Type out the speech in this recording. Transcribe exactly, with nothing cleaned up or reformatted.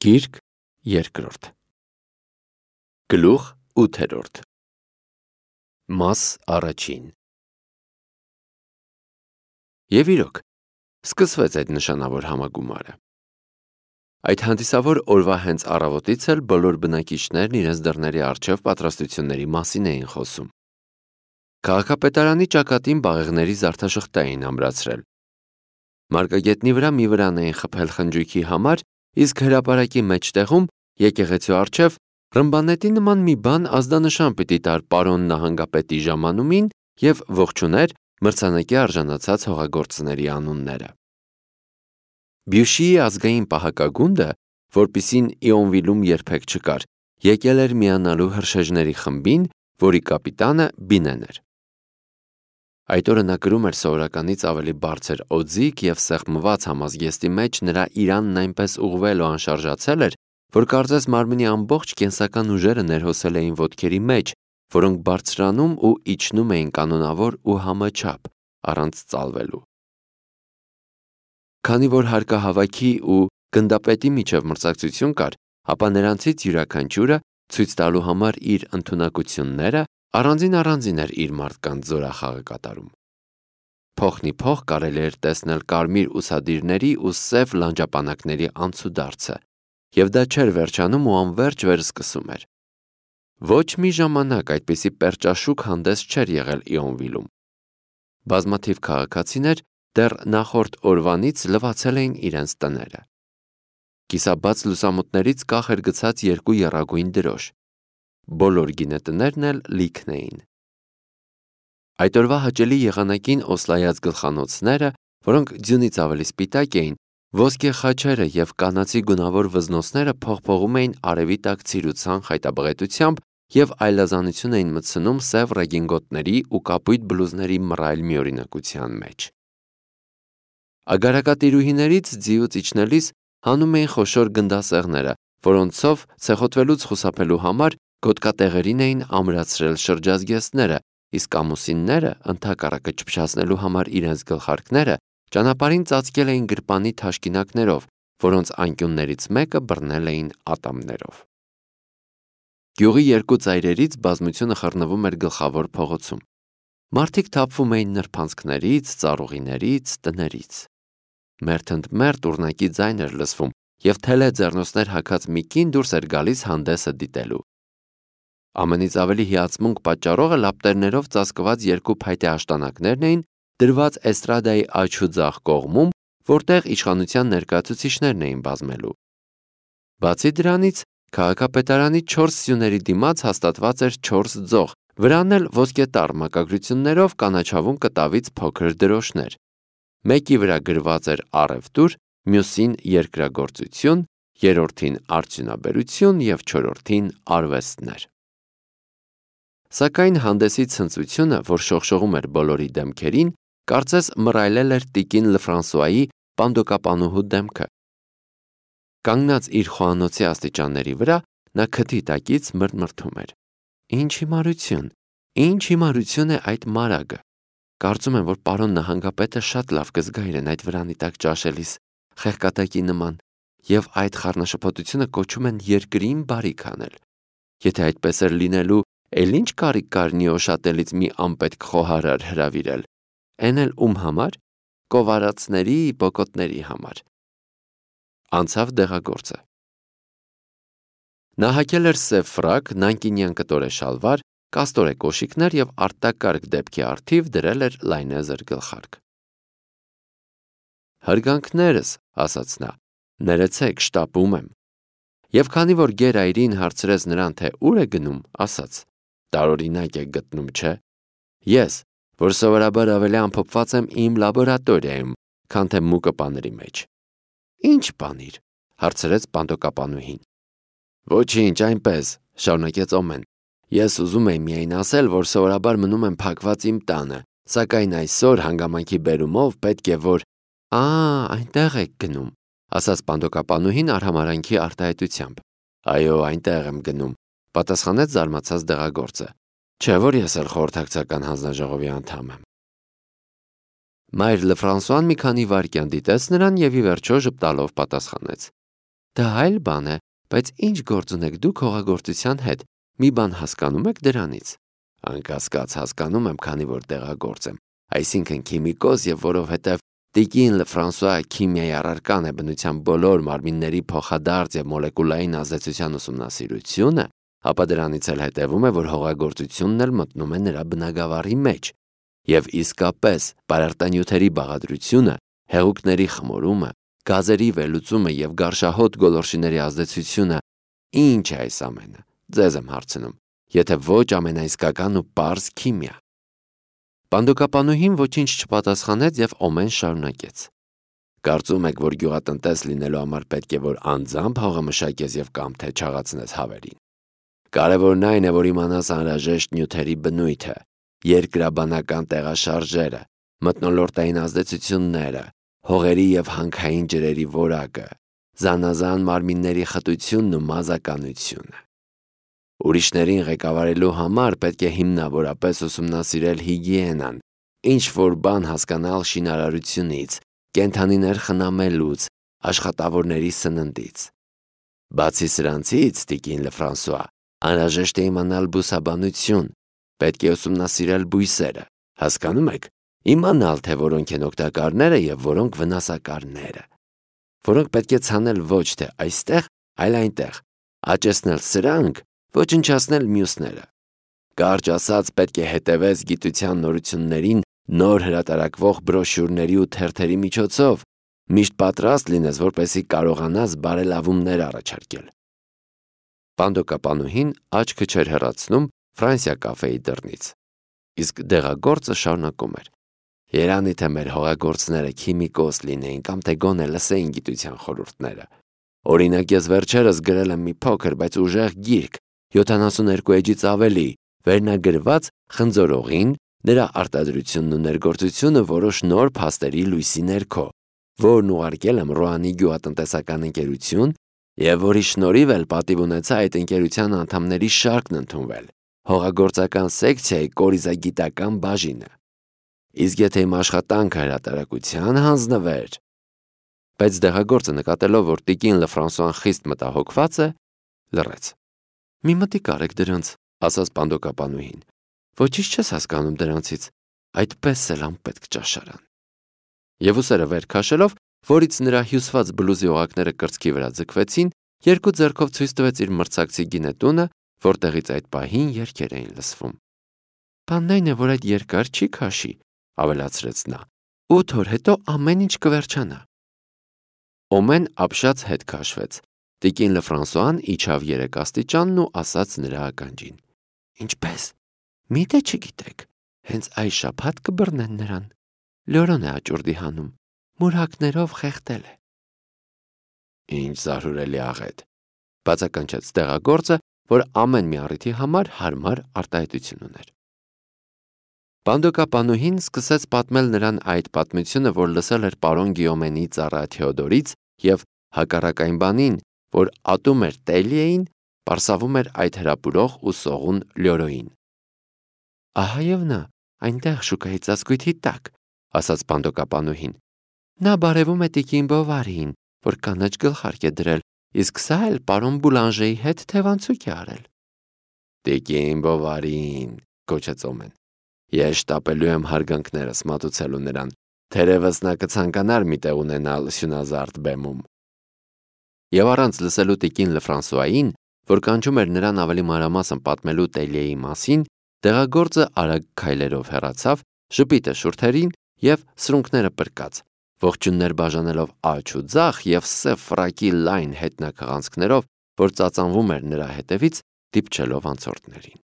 Գիրք երկրորդ Գլուխ ութերորդ Մաս առաջին Եվ իրոք, սկսվեց այդ նշանավոր համագումարը։ Այդ հանդիսավոր օրվա հենց առավոտից էլ բոլոր բնակիչներն իրենց դռների առջև պատրաստությունների մասին էին խոսում։ Քաղաքապետարանի ճակատին բաղեղների զարդաշղթա էին ամրացրել։ Մարգագետնի վրա մի վրան էին խփել խնջույքի համար, իսկ հրապարակի մեջտեղում եկեղեցու առջև ռմբանետի նման մի բան ազդանշան պիտի տար պարոն նահանգապետի ժամանումին և ողջուներ մրցանակի արժանացած հողագործների անունները։ Բյուշիի ազգային պահակագունդը, որպիսին Իոնվիլում երբեք չկար, եկել էր միանալու հրշեջների խմբին, որի կապիտանը Բինեն էր։ Այդ օրը նա կրում էր սովորականից ավելի բարձր օձիք և սեղմված համազգեստի մեջ նրա իրանն այնպես ուղղվել ու անշարժացել էր, որ կարծես մարմնի ամբողջ կենսական ուժերը ներհոսել էին ոտքերի մեջ, որոնք բարձրանում ու իջնում էին կանոնավոր ու համաչափ, առանց ծալվելու։ Քանի որ հարկահավաքի ու գնդապետի միջև մրցակցություն կար, ապա նրանցից յուրաքանչյուրը ցույց տալու համար իր ընդունակությունները առանձին-առանձին էր իր մարդկանց զորախաղը կատարում։ Փոխն ի փոխ կարելի էր տեսնել կարմիր ուսադիրների ու սև լանջապանակների անցուդարձը, և դա չէր վերջանում ու անվերջ վերսկսում էր։ Ոչ մի ժամանակ այդպիսի պերճաշուք հանդես չէր եղել Իոնվիլում։ Բազմաթիվ քաղաքացիներ դեռ նախորդ օրվանից լվացել էին իրենց տները։ Կիսաբաց լուսամուտներից կախ էր գցած երկու եռագույն դրոշ։ Բոլոր գինետներն էլ լիքն էին։ Այդ օրվա հաճելի եղանակին օսլայած գլխանոցները, որոնք ձյունից ավելի սպիտակ էին, ոսկե խաչերը և կանացի գունավոր վզնոցները փողփողում էին արևի տակ ցիրուցան խայտաբղետությամբ և այլազանություն էին մտցնում սև ռեգինգոտների ու կապույտ բլուզների մռայլ միօրինակության մեջ։ Ագարակատիրուհիներից ձիուց իջնելիս հանում էին խոշոր գնդասեղները, որոնցով ցեխոտվելուց խուսափելու համար գոտկատեղերին էին ամրացրել շրջազգեստները, իսկ ամուսինները, ընդհակառակը չփչացնելու համար իրենց գլխարկները, ճանապարհին ծածկել էին գրպանի թաշկինակներով, որոնց անկյուններից մեկը բռնել էին ատամներով։ Գյուղի երկու ծայրերից բազմությունը խռնվում էր գլխավոր փողոցում։ Մարդիկ թափվում էին նրբանցքներից, ծառուղիներից, տներից։ Մերթընդմերթ ուռնակի ձայն էր լսվում, և թելե ձեռնոցներ հագած մի կին դուրս էր գալիս հանդեսը դիտելու։ Ամենից ավելի հիացմունք պատճառողը լապտերներով ծածկված երկու փայտե աշտանակներն էին, դրված էստրադայի աջ ու ձախ կողմում, որտեղ իշխանության ներկայացուցիչներն էին բազմելու։ Բացի դրանից, քաղաքապետարանի չորս սյուների դիմաց հաստատված էր չորս ձող, վրան էլ ոսկետառ մակագրություններով կանաչավուն կտավից փոքր դրոշներ։ Մեկի վրա գրված էր առևտուր, մյուսին երկրագործություն, երրորդին արդյունաբերություն և չորրորդին արվեստներ։ Սակայն հանդեսի ցնծությունը, որ շողշողում էր բոլորի դեմքերին, կարծես մռայլել էր տիկին Լֆրանսուայի պանդոկապանուհու դեմքը։ Կանգնած իր խոհանոցի աստիճանների վրա, նա քթի տակից մրթմրթում էր. «Ինչ հիմարություն, ինչ հիմարություն է այդ մարագը։ Կարծում եմ, որ պարոն նահանգապետը շատ լավ կզգա իրեն այդ վրանի տակ ճաշելիս, խեղկատակի նման, և այդ խառնաշփոթությունը կոչում են երկրին բարիք անել։ Եթե այդպես էր լինելու, էլ ինչ կարիք կար Նիոշատելից մի անպետք խոհարար հրավիրել, էն էլ ում համար, կովարացների, բոկոտների համար»։ Անցավ դեղագործը։ Նա հագել էր սև ֆրակ, նանկինյան կտորե շալվար, կաստորե կոշիկներ և արտակարգ դեպքի առթիվ դրել էր լայնեզր գլխարկ։ «Հարգանքներս», ասաց նա, «ներեցեք, շտապում եմ»։ Եվ քանի որ գեր-այրին հարցրեց նրան, թե ուր է գնում, ասաց. «Տարօրինակ եք գտնում, չէ՞։ Ես, որ սովորաբար ավելի ամփոփված եմ իմ լաբորատորիայում, քան թե մուկը պաների մեջ»։ «Ի՞նչ պանիր», հարցրեց պանդոկապանուհին։ «Ոչինչ, այնպես», շարունակեց Օմեն։ «Ես ուզում էի միայն ասել, որ սովորաբար մնում եմ փակված իմ տանը, սակայն այսօր հանգամանքի բերումով պետք է որ…» «Ա, այնտեղ եք գնում», ասաց պանդոկապանուհին արհամարհանքի արտահայտությամբ։ «Այո, այնտեղ եմ գնում», պատասխանեց զարմացած դեղագործը։ «Չէ՞ որ ես էլ խորհրդակցական հանձնաժողովի անդամ եմ»։ Մայր Լֆրանսուան մի քանի վայրկյան դիտեց նրան և ի վերջո ժպտալով պատասխանեց. Դա այլ բան է, բայց ինչ գործ ունեք դուք հողագործության հետ, մի բան հասկանում եք դրանից։ Անկասկած հասկանում եմ, քանի որ տեղագործ եմ, այսինքն քիմիկոս եւ որովհետեւ Տիկին Լեֆրանսուଆ քիմիայի առարկան է բնության բոլոր մարմինների փոխադարձ եւ մոլեկուլային ազդեցության ուսումնասիրությունը, ապա դրանից էլ հետևում է, որ հողագործությունն էլ մտնում է նրա բնագավառի մեջ, եւ իսկապես պարարտանյութերի բաղադրությունը, հեղուկների խմորումը, գազերի վերլուծումը եւ գարշահոտ գոլորշիների ազդեցությունը, ինչ է այս ամենը, ձեզ եմ հարցնում, եթե ոչ ամենաիսկական ու պարզ քիմիա։ Պանդոկապանուհին ոչինչ չպատասխանեց եւ Օմեն շարունակեց. Կարծում եք, որ գյուղատնտես լինելու համար պետք է որ անձամբ հողը մշակես եւ կամ թե չաղացնես հավերին։ Կարևորն այն է, որ իմանաս անհրաժեշտ նյութերի բնույթը, երկրաբանական տեղաշարժերը, մթնոլորտային ազդեցությունները, հողերի եւ հանքային ջրերի որակը, զանազան մարմինների խտությունն ու մազականությունը։ Ուրիշներին ղեկավարելու համար պետք է հիմնավորապես ուսումնասիրել հիգիենան, ինչ-որ բան հասկանալ շինարարությունից, կենդանիներ խնամելուց, աշխատավորների սննդից։ Բացի սրանցից, Տիկին Լեֆրանսուଆ, անհրաժեշտ է իմանալ բուսաբանություն, պետք է ուսումնասիրել բույսերը, հասկանում եք, իմանալ, թե որոնք են օգտակարները եւ որոնք վնասակարները, որոնք պետք է ցանել ոչ թե այստեղ, այլ այնտեղ, աճեցնել սրանք, ոչնչացնել մյուսները։ Կարճ ասած, պետք է հետևես գիտության նորություններին նոր հրատարակվող բրոշյուրների ու թերթերի միջոցով, միշտ պատրաստ լինես, որպեսզի կարողանաս բարելավումներ առաջարկել։ Պանդոկապանուհին աչքը չէր հեռացնում Ֆրանսիա կաֆեի դռնից, իսկ դեղագործը շարունակում էր. Երանի թե մեր հողագործները քիմիկոս լինեին կամ թե գոնե լսեին գիտության խորհուրդները։ Օրինակ, ես վերջերս գրել եմ մի փոքր, բայց ուժեղ գիրք, յոթանասունհինգ էջից ավելի, վերնագրված խնձորողին, նրա արտադրությունն ու ներգործությունը որոշ նոր փաստերի լույսի ներքո, որն ուղարկել եմ Ռոանի գյուղատնտեսական ընկերություն եւ որի շնորհիվ էլ պատիվ ունեցա այդ ընկերության անդամների շարքն ընդունվել, հողագործական սեկցիայի կորիզագիտական բաժինը։ Իսկ եթե իմ աշխատանքը հրատարակության հանձնվեր, բայց դեղագործը նկատելով, որ Տիկին Լեֆրանսուան խիստ մտահոգված է, լռեց։ Մի մտիկ արեք դրանց, ասաց պանդոկապանուհին։ Ոչինչ չես հասկանում դրանցից, այդպես էլ անպետք ճաշարան։ Եվ ուսերը վեր քաշելով, որից նրա հյուսված բլուզի օղակները կրծքի վրա ձգվեցին, երկու ձեռքով ցույց տվեց իր մրցակցի գինետունը, որտեղից այդ պահին երգեր էին լսվում։ Բանն այն է, որ այդ երկար չի քաշի, ավելացրեց նա։ Ութ օր հետո ամեն ինչ կվերջանա։ Օմեն ապշած հետ քաշվեց։ Տիկին Լեֆրանսուան իջավ երեք աստիճանն ու ասաց նրա ականջին. Ինչպես։ Միթե չգիտեք, հենց այս շաբաթ կբռնեն նրան։ Լորոն է աճուրդի հանում, մուրհակներով խեղդել է։ Ինչ զարհուրելի աղետ, բացականչեց դեղագործը, որ ամեն մի առիթի համար հարմար արտահայտություն ուներ։ Պանդոկապանուհին սկսեց պատմել նրան այդ պատմությունը, որ լսել էր պարոն Գիոմենի ծառա Թեոդորից եւ հակառակ այն բանին, որ ատում էր Տելիեին, պարսավում էր այդ հրապուրող ու սողուն Լյորոին։ Ահա եւ նա, այնտեղ շուկայի ծածկույթի տակ, ասաց պանդոկապանուհին։ Նա բարևում է Տիկին Բովարիին, որ կանաչ գլխարկ է դրել, իսկ սա էլ պարոն Բուլանժեի հետ թևանցուկ է արել։ Տիկին Բովարին, կոչեց Օմեն։ Ես շտապելու եմ հարգանքներս մատուցելու նրան, թերևս նա կցանկանար մի տեղ ունենալ սյունազարդ բեմում։ Եվ առանց լսելու Տիկին Լեֆրանսուային, որ կանչում էր նրան ավելի մանրամասն պատմելու Տելիեի մասին, դեղագործը արագ քայլերով հեռացավ, ժպիտը շուրթերին եւ սրունքները պրկած, ողջուններ բաժանելով աջ ու ձախ եւ սև ֆրակի լայն հետնակղանցքներով, որ ծածանվում էր նրա հետևից, դիպչելով անցորդներին։